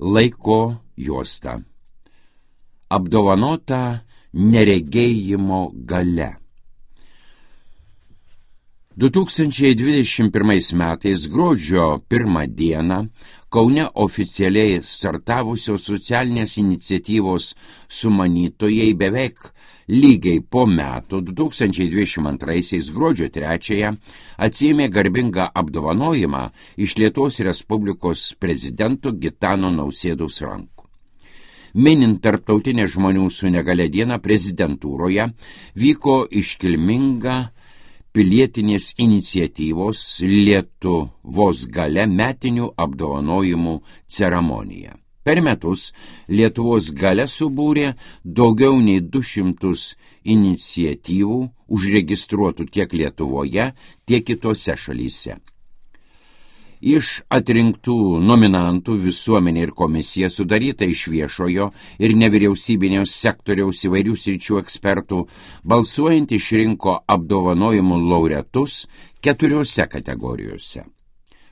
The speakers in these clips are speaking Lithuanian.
Laiko juosta. Apdovanota neregėjimo galia. 2021 metais gruodžio 1 dieną Kaune oficialiai startavusios socialinės iniciatyvos sumanytojai beveik lygiai po metų 2022 gruodžio 3 atsiėmė garbingą apdovanojimą iš Lietuvos Respublikos prezidento Gitano Nausėdos rankų. Minint tarptautinę žmonių su negalia dieną prezidentūroje vyko iškilminga pilietinės iniciatyvos Lietuvos galia metinių apdovanojimų ceremonija. Per metus Lietuvos galia subūrė daugiau nei 200 iniciatyvų užregistruotų tiek Lietuvoje, tiek kitose šalyse. Iš atrinktų nominantų visuomenė ir komisija sudaryta iš viešojo ir nevyriausybinio sektoriaus įvairių sričių ekspertų, balsuojant išrinko apdovanojimų laureatus 4 kategorijose: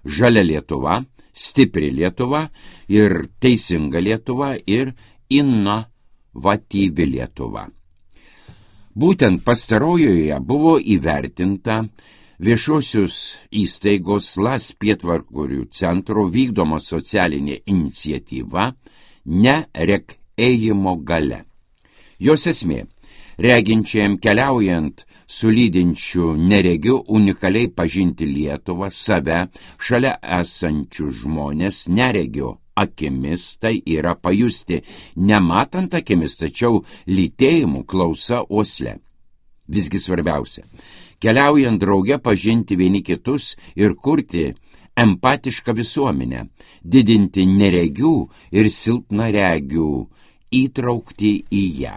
Žalia Lietuva, Stipri Lietuva ir Teisinga Lietuva ir Inovatyvi Lietuva. Būtent pastarojoje buvo įvertinta viešosios įstaigos LAS Pietvarkorių centro vykdoma socialinė iniciatyva Neregėjimo galia. Jos esmė: reginčiam keliaujant su lydinčiu neregiu unikaliai pažinti Lietuvą, save, šalia esančių žmonės neregio akimis, tai yra pajusti nematant akimis, tačiau lytėjimu klausa uosle. Visgi svarbiausia: keliaujant drauge pažinti vieni kitus ir kurti empatišką visuomenę, didinti neregių ir silpnaregių įtraukti į ją.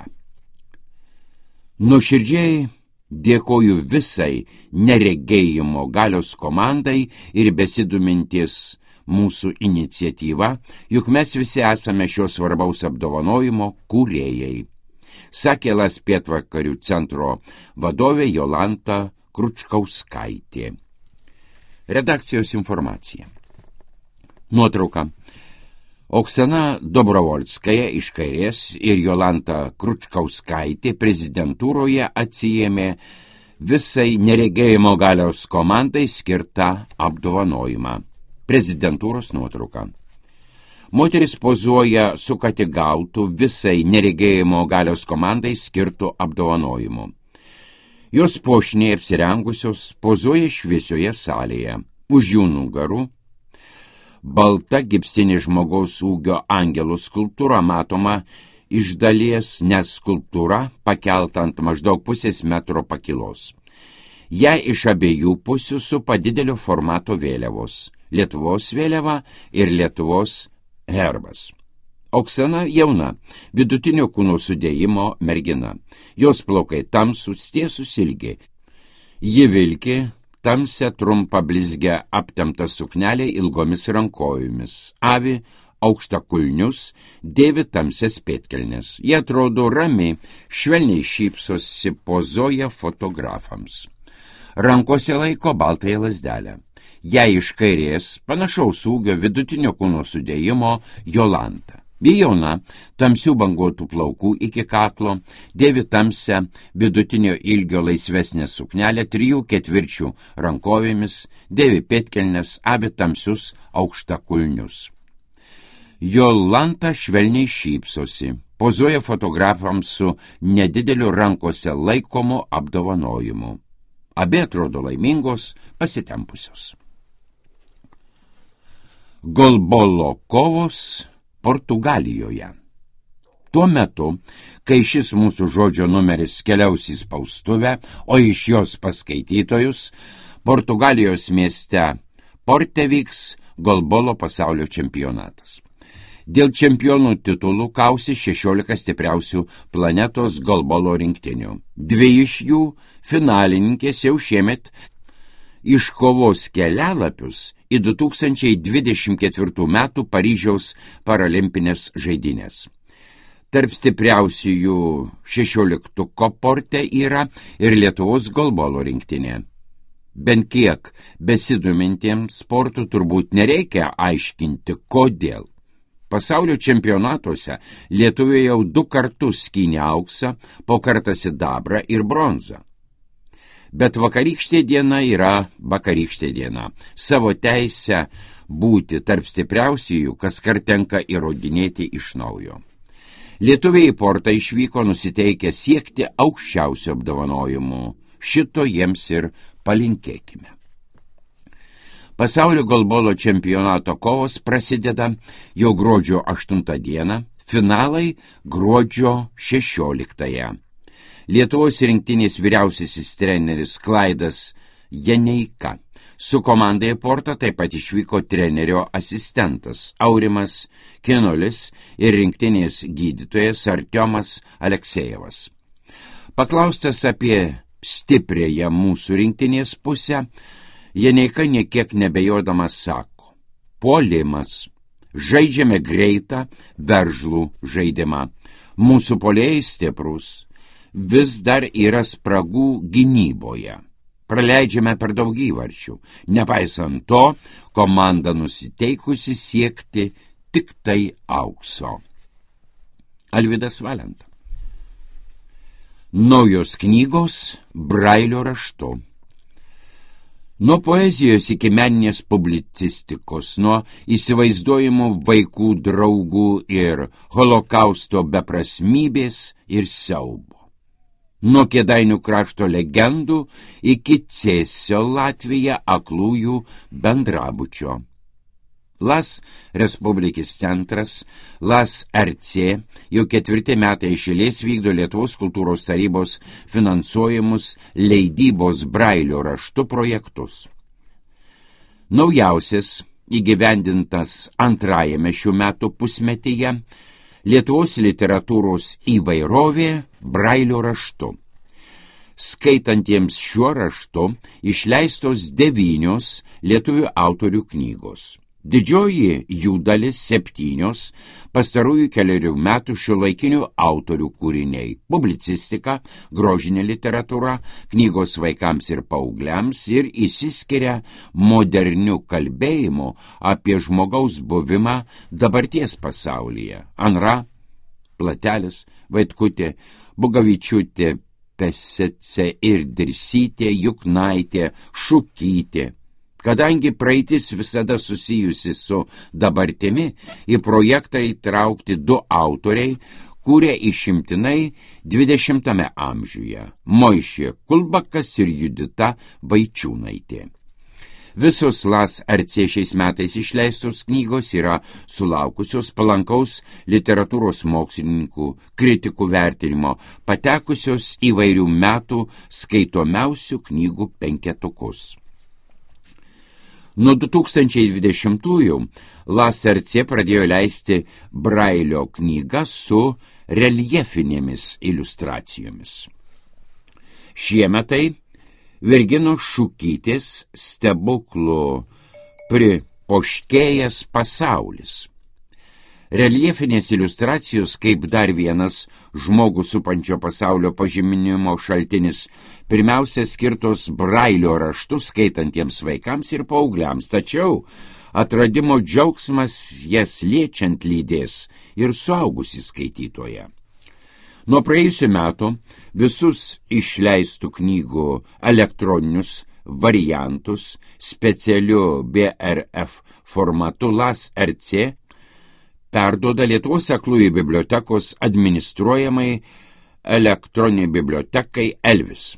Nuoširdžiai dėkoju visai neregėjimo galios komandai ir besidominties mūsų iniciatyva, juk mes visi esame šios svarbaus apdovanojimo kūrėjai, sakė LAS Pietvakarių centro vadovė Jolanta Kručkauskaitė. Redakcijos informacija. Nuotrauka. Oksana Dobrovolskaja iš kairės ir Jolanta Kručkauskaitė prezidentūroje atsiėmė visai neregėjimo galios komandai skirtą apdovanojimą. Prezidentūros nuotrauka. Moteris pozuoja su ką tik gautų visai neregėjimo galios komandai skirtų apdovanojimų. Jos puošniai apsirengusios pozuoja šviesioje salėje. Už jų nugarų balta gipsinė žmogaus ūgio angelų skulptūra matoma iš dalies, nes skulptūra pakelta ant maždaug 0,5 metro pakilos. Ją iš abiejų pusių supa didelio formato vėliavos: Lietuvos vėliava ir Lietuvos herbas. Oksana jauna, vidutinio kūno sudėjimo mergina. Jos plaukai tamsūs, tiesūs ilgi. Ji vilki tamsią trumpą blizgę aptemptą suknelę ilgomis rankojomis, avi aukštakulnius, dėvi tamsias pėdkelnes. Jie atrodo rami, švelniai šypsosi, pozuoja fotografams. Rankose laiko baltąją lazdelę. Jai iš kairės panašaus ūgio vidutinio kūno sudėjimo Jolanta. Ji jauna, tamsių banguotų plaukų iki kaklo, dėvi tamsią vidutinio ilgio laisvesnę suknelę 3/4 rankovėmis, dėvi pėdkelnes, avi tamsius aukštakulnius. Jolanta švelniai šypsosi, pozuoja fotografams su nedideliu rankose laikomu apdovanojimu. Abi atrodo laimingos, pasitempusios. Golbolo kovos Portugalijoje. Tuo metu, kai šis mūsų žodžio numeris keliaus į spaustuvę, o iš jos paskaitytojus, Portugalijos mieste Porte vyks golbolo pasaulio čempionatas. Dėl čempionų titulų kausi 16 stipriausių planetos golbolo rinktinių. 2 iš jų finalininkės jau šiemet iškovos kelialapius į 2024 metų Paryžiaus paralimpinės žaidynės. Tarp stipriausiųjų 16 Porte yra ir Lietuvos golbolo rinktinė. Bent kiek besidomintiems sportų turbūt nereikia aiškinti, kodėl. Pasaulio čempionatuose lietuviai jau 2 kartus skynė auksą, po kartą sidabrą ir bronzą. Bet vakarykštė diena yra vakarykštė diena. Savo teisę būti tarp stipriausiųjų kaskart tenka įrodinėti iš naujo. Lietuviai į portą išvyko nusiteikę siekti aukščiausių apdovanojimų. Šito jiems ir palinkėkime. Pasaulio golbolo čempionato kovos prasideda jau gruodžio 8 dieną, finalai gruodžio 16. Lietuvos rinktinės vyriausiasis treneris Klaidas Janeika. Su komanda į portą taip pat išvyko trenerio asistentas Aurimas Kinolis ir rinktinės gydytojas Artiomas Aleksejevas. Paklaustas apie stipriąją mūsų rinktinės pusę, Janeika niekiek nebejodamas sako: puolimas. Žaidžiame greitą, veržlų žaidimą. Mūsų puolėjai stiprus. Vis dar yra spragų gynyboje. Praleidžiame per daug įvarčių. Nepaisant to, komanda nusiteikusi siekti tik tai aukso. Alvydas Valenta. Naujos knygos Brailio raštu. Nuo poezijos iki meninės publicistikos, nuo įsivaizduojimų vaikų draugų ir holokausto beprasmybės ir siaubo. Nuo Kėdainių krašto legendų iki Cėsio Latvija aklųjų bendrabučio. Las Respublikis centras, Las RC jau 4 metai iš eilės vykdo Lietuvos kultūros tarybos finansuojamus leidybos Brailio raštu projektus. Naujausias, įgyvendintas 2 šių metų pusmetyje, Lietuvos literatūros įvairovė Brailio raštu. Skaitantiems šiuo raštu išleistos 9 lietuvių autorių knygos. Didžioji jų dalis 7 pastarųjų 4 metų šiuolaikinių autorių kūriniai – publicistika, grožinė literatūra, knygos vaikams ir paaugliams ir išsiskiria moderniu kalbėjimu apie žmogaus buvimą dabarties pasaulyje. Anra, Platelis, Vaitkutė, Bugavičiūtė, Pesece ir Dirsytė, Juknaitė, Šukytė. Kadangi praeitis visada susijusi su dabartimi, į projektą įtraukti 2 autoriai, kurie išimtinai 20 amžiuje – Moišė Kulbakas ir Judita Vaičiūnaitė. Visos Las RC šiais metais išleistos knygos yra sulaukusios palankaus literatūros mokslininkų, kritikų vertinimo, patekusios įvairių metų skaitomiausių knygų 5. Nuo 2020-ųjų Las RC pradėjo leisti Brailio knygą su reljefinėmis iliustracijomis. Šiemetai Virginos Šukytės stebuklų pripoškėjęs pasaulis. Reljefinės iliustracijos kaip dar vienas žmogų supančio pasaulio pažinimo šaltinis, pirmiausia skirtos Brailio raštu skaitantiems vaikams ir paaugliams, tačiau atradimo džiaugsmas jas liečiant lydės ir suaugusį skaitytoją. Nuo praėjusių metų visus išleistų knygų elektroninius variantus specialiu BRF formatu Las RC perduoda Lietuvos aklųjų bibliotekos administruojamai elektroniniai bibliotekai Elvis.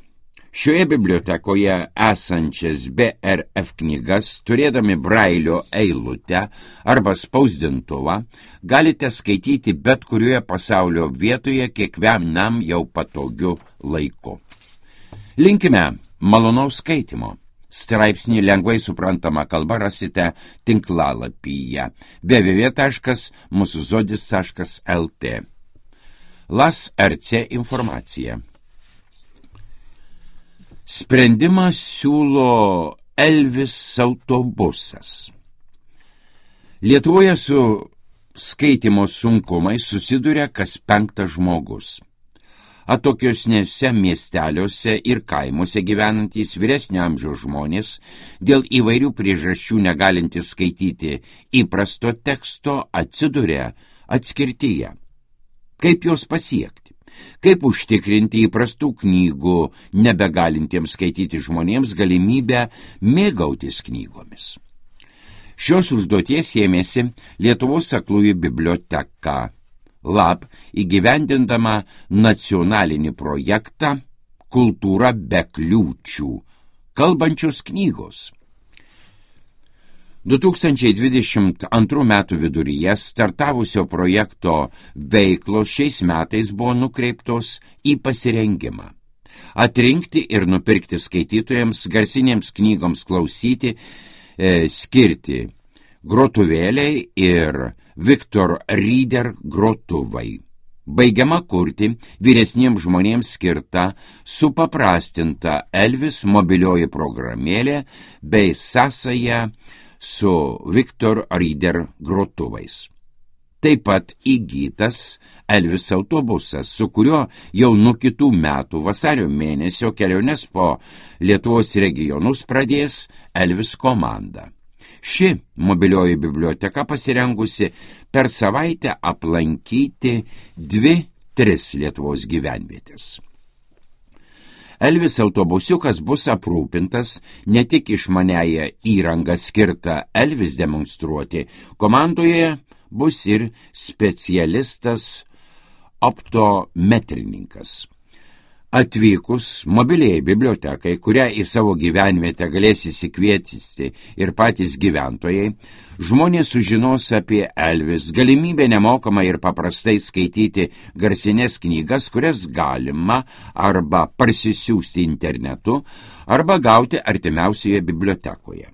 Šioje bibliotekoje esančias BRF knygas, turėdami Brailio eilutę arba spausdintuvą, galite skaityti bet kurioje pasaulio vietoje kiekvienam jau patogiu laiku. Linkime malonaus skaitimo. Straipsnį lengvai suprantama kalba rasite tinklalapyje www.musuzodis.lt. Las RC informacija. Sprendimą siūlo Elvis autobusas. Lietuvoje su skaitimo sunkumais susiduria kas 5 žmogus. Atokiosnėse miesteliuose ir kaimuose gyvenantys vyresnio amžiaus žmonės, dėl įvairių priežasčių negalintys skaityti įprasto teksto, atsiduria atskirtyje. Kaip jos pasiekti? Kaip užtikrinti įprastų knygų nebegalintiems skaityti žmonėms galimybę mėgautis knygomis? Šios užduoties ėmėsi Lietuvos aklųjų biblioteka LAB įgyvendindama nacionalinį projektą Kultūra be kliūčių – kalbančios knygos. 2022 metų viduryje startavusio projekto veiklos šiais metais buvo nukreiptos į pasirengimą. Atrinkti ir nupirkti skaitytojams garsinėms knygoms klausyti, skirti grotuvėliai ir Victor Reader grotuvai. Baigiama kurti vyresniems žmonėms skirta supaprastinta Elvis mobilioji programėlė bei sąsaja su Victor Reader grotuvais. Taip pat įgytas Elvis autobusas, su kuriuo jau nuo kitų metų vasario mėnesio keliones po Lietuvos regionus pradės Elvis komanda. Ši mobilioji biblioteka pasirengusi per savaitę aplankyti 2-3 Lietuvos gyvenvietės. Elvis autobusiukas bus aprūpintas ne tik išmaniąją įrangą skirtą Elvis demonstruoti, komandoje bus ir specialistas optometrininkas. Atvykus mobiliai bibliotekai, kurią į savo gyvenvietę galės įsikviesti ir patys gyventojai, žmonės sužinos apie Elvis, galimybę nemokamai ir paprastai skaityti garsinės knygas, kurias galima arba parsisiųsti internetu, arba gauti artimiausioje bibliotekoje.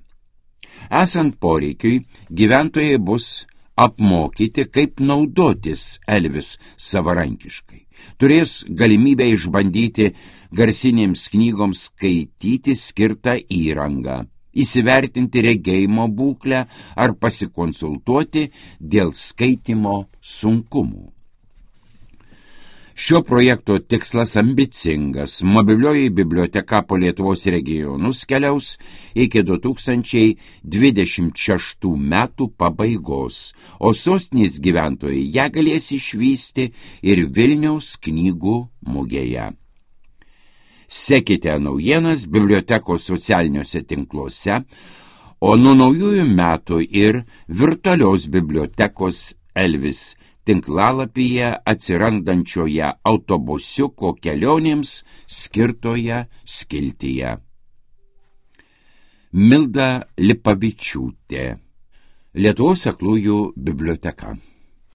Esant poreikiui, gyventojai bus apmokyti, kaip naudotis Elvis savarankiškai. Turės galimybę išbandyti garsinėms knygoms skaityti skirtą įrangą, įsivertinti regėjimo būklę ar pasikonsultuoti dėl skaitymo sunkumų. Šio projekto tikslas ambicingas. Mobilioji biblioteka po Lietuvos regionus keliaus iki 2026 metų pabaigos, o sostinės gyventojai ją galės išvysti ir Vilniaus knygų mugėje. Sekite naujienas bibliotekos socialiniuose tinkluose, o nuo naujųjų metų ir virtualios bibliotekos Elvis tinklalapyje atsirandančioje autobusiuko kelionėms skirtoje skiltyje. Milda Lipavičiūtė, Lietuvos aklųjų biblioteka.